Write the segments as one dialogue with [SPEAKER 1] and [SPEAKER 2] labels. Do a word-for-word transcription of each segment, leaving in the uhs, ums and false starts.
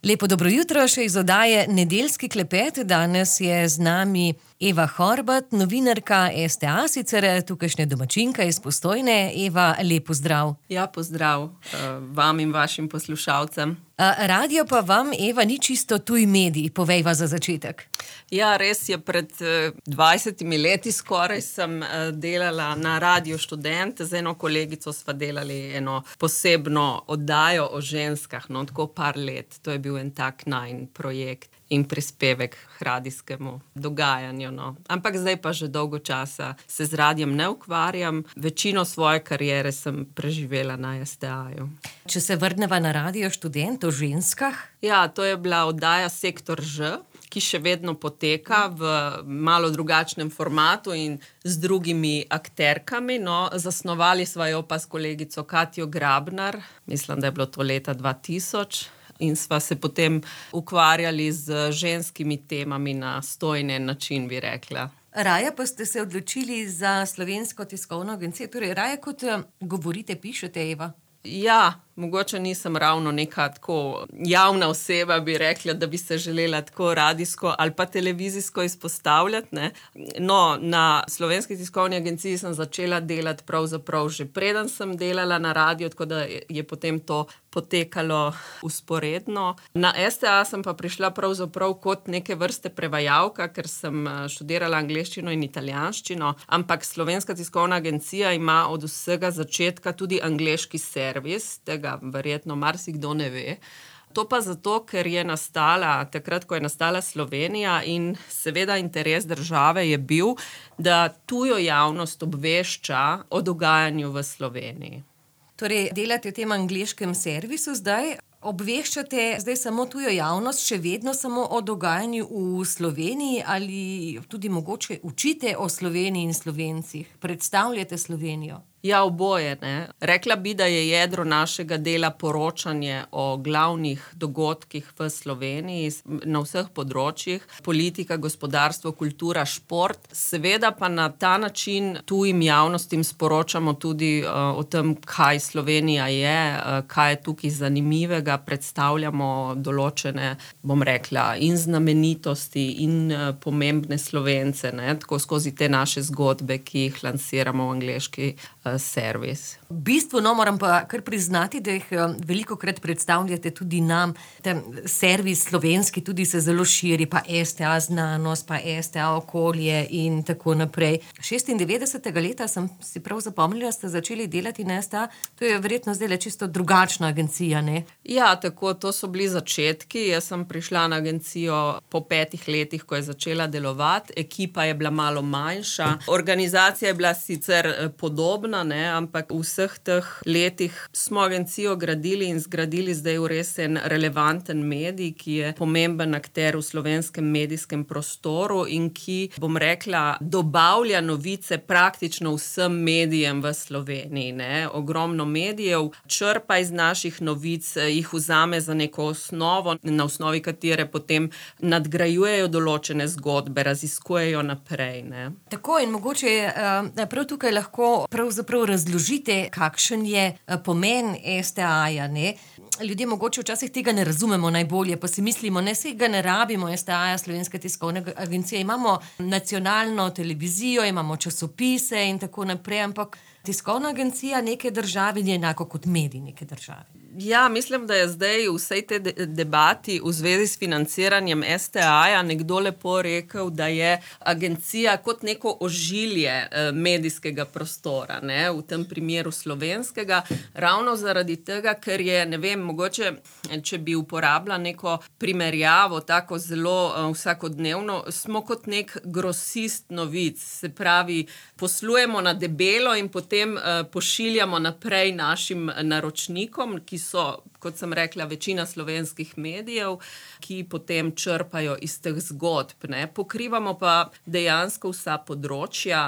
[SPEAKER 1] Lepo dobro jutro še iz oddaje Nedeljski klepet. Danes je z nami Eva Horvat, novinarka S T A, sicer tukajšnja domačinka iz Postojne. Eva, lep pozdrav.
[SPEAKER 2] Ja, pozdrav vam in vašim poslušalcem.
[SPEAKER 1] Radio pa vam, Eva, ni čisto tuj medij, povejva za začetek.
[SPEAKER 2] Ja, res je, pred dvajsetimi leti skoraj sem delala na Radio Študent. Z eno kolegico sva delali eno posebno oddajo o ženskah, no, tako par let. To je bil en tak najin projekt in prispevek k radijskemu dogajanju, no. Ampak zdaj pa že dolgo časa se z radijem ne ukvarjam. Večino svoje kariere sem preživela na S T A-ju.
[SPEAKER 1] Če se vrneva na Radio Študent o ženskah?
[SPEAKER 2] Ja, to je bila oddaja Sektor Ž, ki še vedno poteka v malo drugačnem formatu in z drugimi akterkami, no. Zasnovali sva jo pa s kolegico Katjo Grabnar, mislim, da je bilo to leta dva tisoč. In sva se potem ukvarjali z ženskimi temami na stojen način, bi rekla.
[SPEAKER 1] Raje pa ste se odločili za Slovensko tiskovno agencijo, torej raje kot govorite, pišete, Eva?
[SPEAKER 2] Ja, mogoče nisem ravno neka tako javna oseba, bi rekla, da bi se želela tako radijsko ali pa televizijsko izpostavljati, ne. No, na Slovenski tiskovni agenciji sem začela delati pravzaprav že preden sem delala na radiju, tako da je potem to potekalo vzporedno. Na S T A sem pa prišla pravzaprav kot neke vrste prevajalka, ker sem študirala angleščino in italijanščino, ampak Slovenska tiskovna agencija ima od vsega začetka tudi angleški servis, tega verjetno marsikdo ne ve. To pa zato, ker je nastala, takrat, ko je nastala Slovenija, in seveda interes države je bil, da tujo javnost obvešča o dogajanju v Sloveniji.
[SPEAKER 1] Torej, delate v tem angleškem servisu zdaj, obveščate zdaj samo tujo javnost, še vedno samo o dogajanju v Sloveniji ali tudi mogoče učite o Sloveniji in Slovencih, predstavljate Slovenijo?
[SPEAKER 2] Ja, oboje, ne. Rekla bi, da je jedro našega dela poročanje o glavnih dogodkih v Sloveniji na vseh področjih, politika, gospodarstvo, kultura, šport. Seveda pa na ta način tujim javnostim sporočamo tudi uh, o tem, kaj Slovenija je, uh, kaj je tukaj zanimivega, predstavljamo določene, bom rekla, in znamenitosti in uh, pomembne Slovence, ne, tako skozi te naše zgodbe, ki jih lansiramo v angleški servis.
[SPEAKER 1] V bistvu, no, moram pa kar priznati, da jih veliko krat predstavljate tudi nam. Ten servis slovenski tudi se zelo širi, pa S T A znanost, pa S T A okolje in tako naprej. šestindevetdesetega leta sem si prav zapomnila, ste začeli delati na S T A. To je verjetno zdaj čisto drugačna agencija, ne?
[SPEAKER 2] Ja, tako, to so bili začetki. Jaz sem prišla na agencijo po petih letih, ko je začela delovati. Ekipa je bila malo manjša. Organizacija je bila sicer podobna, ne, ampak v vseh teh letih smo agencijo gradili in zgradili zdaj v res en relevanten medij, ki je pomemben akter v slovenskem medijskem prostoru in ki, bom rekla, dobavlja novice praktično vsem medijem v Sloveniji, ne. Ogromno medijev črpa iz naših novic, jih vzame za neko osnovo, na osnovi katere potem nadgrajujejo določene zgodbe, raziskujejo naprej, ne.
[SPEAKER 1] Tako, in mogoče uh, prav tukaj lahko pravzaprav razložite, kakšen je pomen S T A-ja, ne? Ljudje mogoče včasih tega ne razumemo najbolje, pa si mislimo, ne, saj ga ne rabimo, S T A-ja, Slovenska tiskovna agencija, imamo nacionalno televizijo, imamo časopise in tako naprej, ampak tiskovna agencija neke države ni enako kot medij neke države.
[SPEAKER 2] Ja, mislim, da je zdaj v vsej te de- debati v zvezi s financiranjem S T A-ja nekdo lepo rekel, da je agencija kot neko ožilje eh, medijskega prostora, ne, v tem primeru slovenskega, ravno zaradi tega, ker je, ne vem, mogoče, če bi uporabila neko primerjavo, tako zelo eh, vsakodnevno, smo kot nek grosist novic, se pravi, poslujemo na debelo in potem eh, pošiljamo naprej našim naročnikom, ki so, kot sem rekla, večina slovenskih medijev, ki potem črpajo iz teh zgodb, ne. Pokrivamo pa dejansko vsa področja,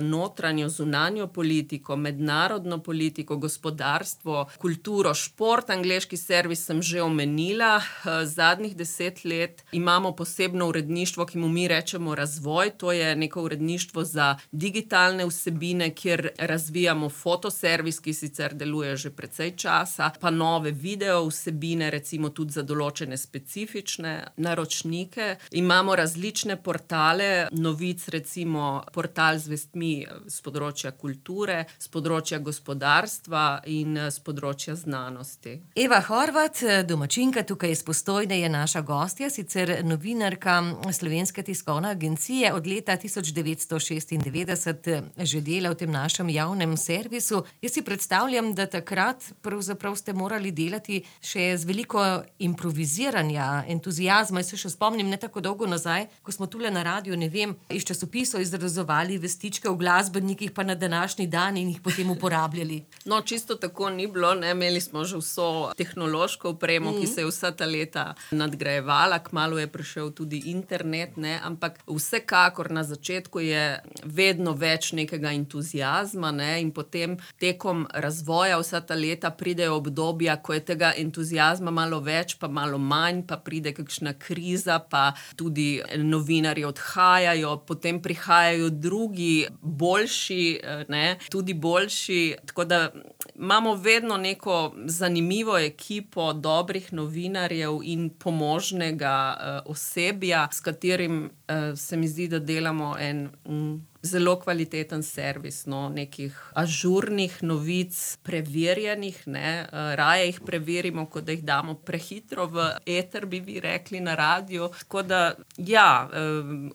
[SPEAKER 2] notranjo, zunanjo politiko, mednarodno politiko, gospodarstvo, kulturo, šport, angleški servis sem že omenila. Zadnjih deset let imamo posebno uredništvo, ki mu mi rečemo Razvoj, to je neko uredništvo za digitalne vsebine, kjer razvijamo fotoservis, ki sicer deluje že precej časa, pa nove video vsebine, recimo tudi za določene specifične naročnike. Imamo različne portale novic, recimo portal z vestmi z področja kulture, z področja gospodarstva in z področja znanosti.
[SPEAKER 1] Eva Horvat, domačinka tukaj iz Postojne, je naša gostja, sicer novinarka Slovenske tiskovne agencije, od leta tisoč devetsto šestindevetdeset že dela v tem našem javnem servisu. Jaz si predstavljam, da takrat pravzaprav ste morali delati še z veliko improviziranja, entuzijazma. Jaz se še spomnim ne tako dolgo nazaj, ko smo tule na radiju, ne vem, iz časopisov izrezovali vestičke v glasbenikih pa na današnji dan in jih potem uporabljali.
[SPEAKER 2] No, čisto tako ni bilo, ne, imeli smo že vso tehnološko opremo, mm. ki se je vsa ta leta nadgrajevala, kmalu je prišel tudi internet, ne, ampak vsekakor na začetku je vedno več nekega entuzijazma, ne, in potem tekom razvoja vsa ta leta pridejo obdobja, ko je tega entuzijazma malo več, pa malo manj, pa pride kakšna kriza, pa tudi novinarji odhajajo, potem prihajajo drugi, boljši, ne, tudi boljši, tako da imamo vedno neko zanimivo ekipo dobrih novinarjev in pomožnega uh, osebja, s katerim uh, se mi zdi, da delamo en mm, zelo kvaliteten servis, no, nekih ažurnih novic, preverjenih, ne, raje jih preverimo, kot da jih damo prehitro v eter, bi vi rekli na radiju. Tako da, ja,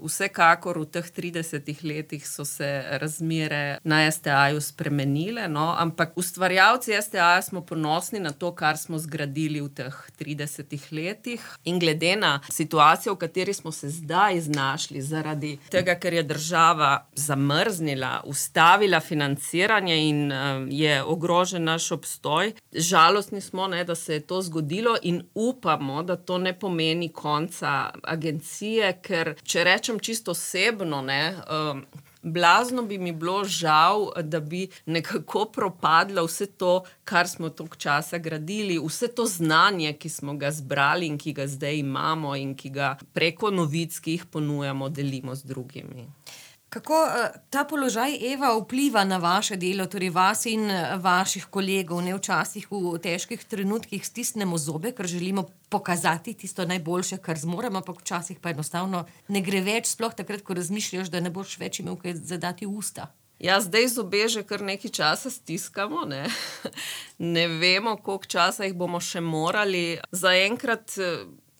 [SPEAKER 2] vsekakor v teh tridesetih letih so se razmere na es te a-ju spremenile, no, ampak ustvarjalci es te a-ja smo ponosni na to, kar smo zgradili v teh tridesetih letih, in glede na situacijo, v kateri smo se zdaj znašli, zaradi tega, ker je država zamrznila, ustavila financiranje in uh, je ogrožen naš obstoj. Žalostni smo, ne, da se je to zgodilo, in upamo, da to ne pomeni konca agencije, ker če rečem čisto osebno, ne, um, blazno bi mi bilo žal, da bi nekako propadlo vse to, kar smo toliko časa gradili, vse to znanje, ki smo ga zbrali in ki ga zdaj imamo in ki ga preko novic, ki jih ponujamo, delimo z drugimi.
[SPEAKER 1] Kako ta položaj, Eva, vpliva na vaše delo, torej vas in vaših kolegov? Ne, včasih v težkih trenutkih stisnemo zobe, ker želimo pokazati tisto najboljše, kar zmoremo, ampak včasih pa enostavno ne gre več, sploh takrat, ko razmišljaš, da ne boš več imel kaj zadati v usta.
[SPEAKER 2] Ja, zdaj zobe že kar nekaj časa stiskamo, ne. Ne vemo, koliko časa jih bomo še morali. Zaenkrat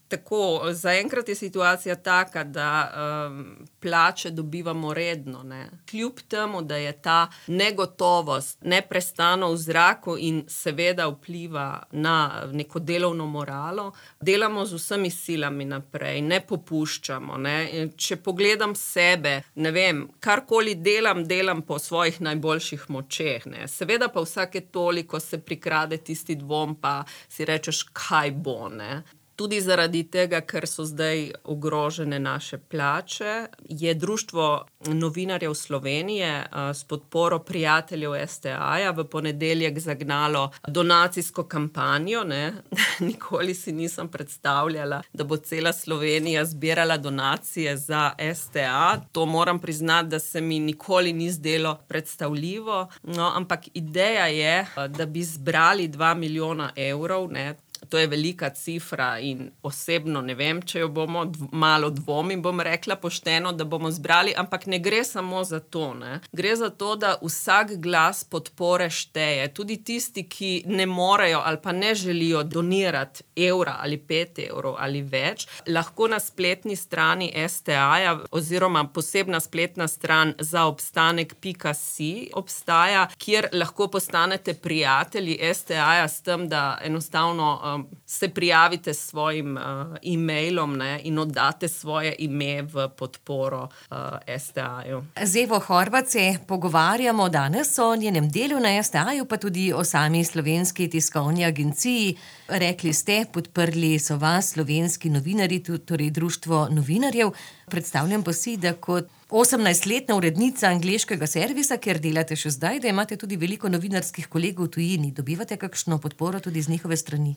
[SPEAKER 2] Tako, zaenkrat je situacija taka, da um, plače dobivamo redno, ne. Kljub temu, da je ta negotovost neprestano v zraku in seveda vpliva na neko delovno moralo, delamo z vsemi silami naprej, ne popuščamo, ne. Če pogledam sebe, ne vem, karkoli delam, delam po svojih najboljših močeh, ne. Seveda pa vsake toliko se prikrade tisti dvom, pa si rečeš, kaj bo, ne. Tudi zaradi tega, ker so zdaj ogrožene naše plače, je Društvo novinarjev Slovenije s podporo prijateljev es te a-ja v ponedeljek zagnalo donacijsko kampanjo, ne. Nikoli si nisem predstavljala, da bo cela Slovenija zbirala donacije za es te a. To moram priznati, da se mi nikoli ni zdelo predstavljivo, no, ampak ideja je, da bi zbrali dva milijona evrov, ne. To je velika cifra in osebno ne vem, če jo bomo, dv- malo dvomim, bom rekla pošteno, da bomo zbrali, ampak ne gre samo za to, ne. Gre za to, da vsak glas podpore šteje. Tudi tisti, ki ne morejo ali pa ne želijo donirati evra ali pet evrov ali več, lahko na spletni strani es te a-ja oziroma posebna spletna stran za obstanek pika si obstaja, kjer lahko postanete prijatelji es te a-ja s tem, da enostavno se prijavite s svojim uh, e-mailom, ne, in oddate svoje ime v podporo uh, es te a-ju.
[SPEAKER 1] Z Evo Horvat se pogovarjamo danes o njenem delu na es te a-ju, pa tudi o sami Slovenski tiskovni agenciji. Rekli ste, podprli so vas slovenski novinarji, torej Društvo novinarjev. Predstavljam pa si, da kot osemnajstletna urednica angleškega servisa, kjer delate še zdaj, da imate tudi veliko novinarskih kolegov v tujini. Dobivate kakšno podporo tudi z njihove strani?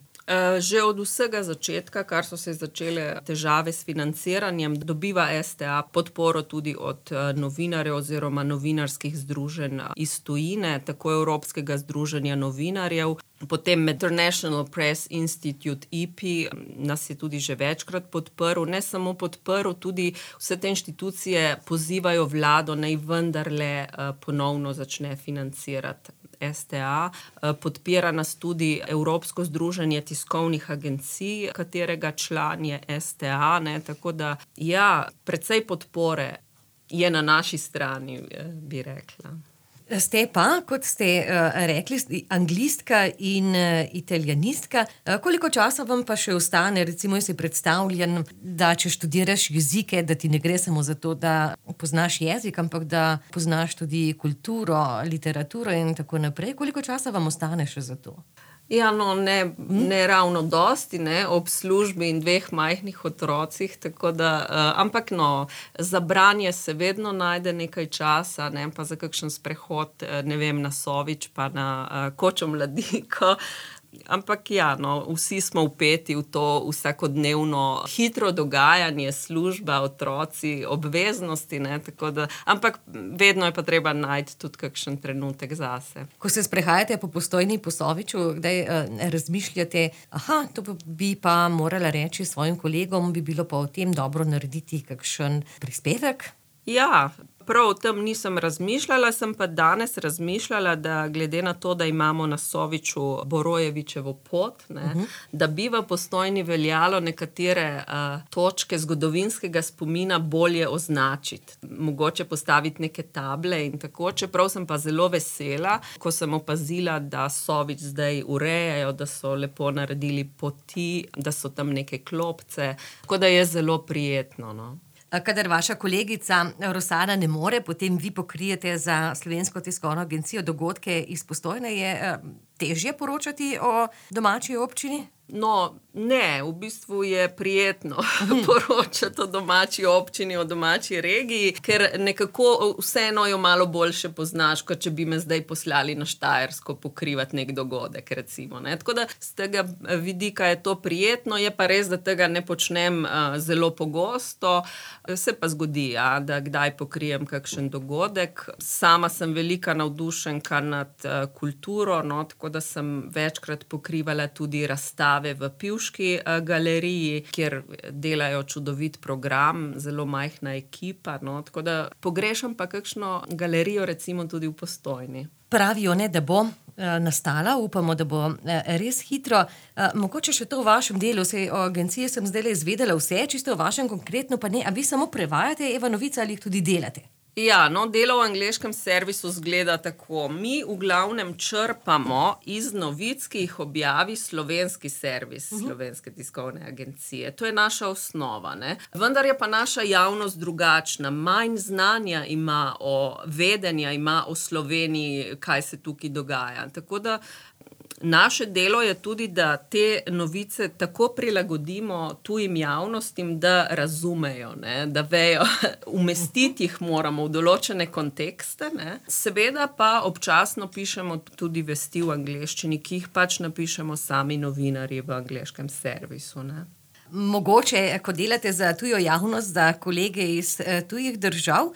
[SPEAKER 2] Že od vsega začetka, kar so se začele težave s financiranjem, dobiva es te a podporo tudi od novinarjev oziroma novinarskih združenj iz tujine, tako Evropskega združenja novinarjev, Potem International Press Institute I P I nas je tudi že večkrat podprl, ne samo podprl, tudi vse te inštitucije pozivajo vlado, naj vendarle ponovno začne financirati S T A. Podpira nas tudi Evropsko združenje tiskovnih agencij, katerega član je S T A, ne, tako da ja, precej podpore je na naši strani, bi rekla.
[SPEAKER 1] Ste pa, kot ste uh, rekli, anglistka in uh, italijanistka. Uh, koliko časa vam pa še ostane, recimo, jaz si predstavljam, da če študiraš jezike, da ti ne gre samo za to, da poznaš jezik, ampak da poznaš tudi kulturo, literaturo in tako naprej. Koliko časa vam ostane še za to?
[SPEAKER 2] Ja, no, ne, ne ravno dosti, ne, ob službi in dveh majhnih otrocih, tako da, uh, ampak no, za branje se vedno najde nekaj časa, ne, pa za kakšen sprehod, ne vem, na Sovič, pa na uh, Kočo Mladiko. Ampak ja, no, vsi smo vpeti v to vsakodnevno hitro dogajanje, služba, otroci, obveznosti, ne, tako da, ampak vedno je pa treba najti tudi kakšen trenutek zase.
[SPEAKER 1] Ko se sprehajate po Postojni, po Soviču, kdaj uh, razmišljate, aha, to bi pa morala reči svojim kolegom, bi bilo pa o tem dobro narediti kakšen prispevek?
[SPEAKER 2] Ja, prav o tem nisem razmišljala, sem pa danes razmišljala, da glede na to, da imamo na Soviču Borojevičevo pot, ne, uh-huh. da bi v Postojni veljalo nekatere uh, točke zgodovinskega spomina bolje označiti. Mogoče postaviti neke table in tako, čeprav sem pa zelo vesela, ko sem opazila, da Sovič zdaj urejajo, da so lepo naredili poti, da so tam neke klopce, tako da je zelo prijetno, no.
[SPEAKER 1] Kadar vaša kolegica Rosana ne more, potem vi pokrijete za Slovensko tiskovno agencijo dogodke iz Postojne. Je težje poročati o domači občini?
[SPEAKER 2] No, ne, v bistvu je prijetno poročati o domači občini, o domači regiji, ker nekako vseeno jo malo boljše poznaš, kot če bi me zdaj poslali na Štajersko pokrivati nek dogodek, recimo, ne. Tako da z tega vidika je to prijetno, je pa res, da tega ne počnem uh, zelo pogosto, se pa zgodi, ja, da kdaj pokrijem kakšen dogodek. Sama sem velika navdušenka nad uh, kulturo, no, tako da sem večkrat pokrivala tudi razstave v Pivški galeriji, kjer delajo čudovit program, zelo majhna ekipa, no, tako da pogrešam pa kakšno galerijo recimo tudi v Postojni.
[SPEAKER 1] Pravijo, ne, da bo nastala, upamo, da bo res hitro. Mogoče še to v vašem delu, sej o agenciji sem zdaj izvedela vse, čisto o vašem konkretno pa ne, a vi samo prevajate Eva novice ali jih tudi delate?
[SPEAKER 2] Ja, no, delo v angleškem servisu zgleda tako. Mi v glavnem črpamo iz novic, ki jih objavi slovenski servis, uh-huh. Slovenske tiskovne agencije. To je naša osnova, ne. Vendar je pa naša javnost drugačna. Manj znanja ima o vedenja, ima o Sloveniji, kaj se tukaj dogaja. Tako da naše delo je tudi, da te novice tako prilagodimo tujim javnostim, da razumejo, ne, da vejo, umestiti jih moramo v določene kontekste, ne. Seveda pa občasno pišemo tudi vesti v angleščini, ki jih pač napišemo sami novinarji v angleškem servisu, ne.
[SPEAKER 1] Mogoče, ko delate za tujo javnost, za kolege iz tujih držav,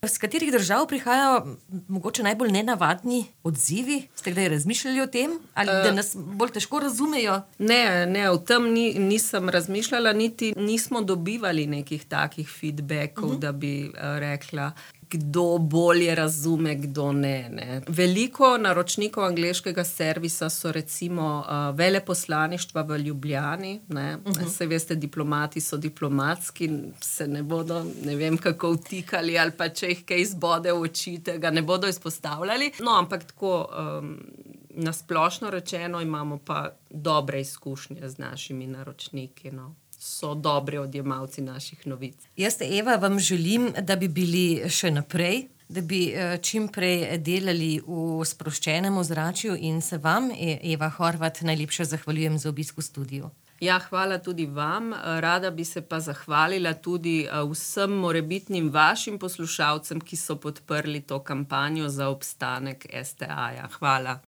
[SPEAKER 1] z katerih držav prihajajo mogoče najbolj nenavadni odzivi? Ste kdaj razmišljali o tem? Ali da nas bolj težko razumejo?
[SPEAKER 2] Ne, ne, o tem ni, nisem razmišljala, niti nismo dobivali nekih takih feedbackov, uh-huh. da bi uh, rekla, kdo bolje razume, kdo ne, ne. Veliko naročnikov angleškega servisa so recimo uh, veleposlaništva v Ljubljani, ne. Uh-huh. Saj veste, diplomati so diplomatski, se ne bodo, ne vem, kako vtikali ali pa če jih kaj izbode v oči, tega ne bodo izpostavljali. No, ampak tako um, nasplošno rečeno imamo pa dobre izkušnje z našimi naročniki, no. So dobri odjemalci naših novic.
[SPEAKER 1] Jaz, Eva, vam želim, da bi bili še naprej, da bi čim prej delali v sproščenem ozračju in se vam, Eva Horvat, najlepše zahvaljujem za obisk v studiu.
[SPEAKER 2] Ja, hvala tudi vam. Rada bi se pa zahvalila tudi vsem morebitnim vašim poslušalcem, ki so podprli to kampanjo za obstanek S T A-ja. Hvala.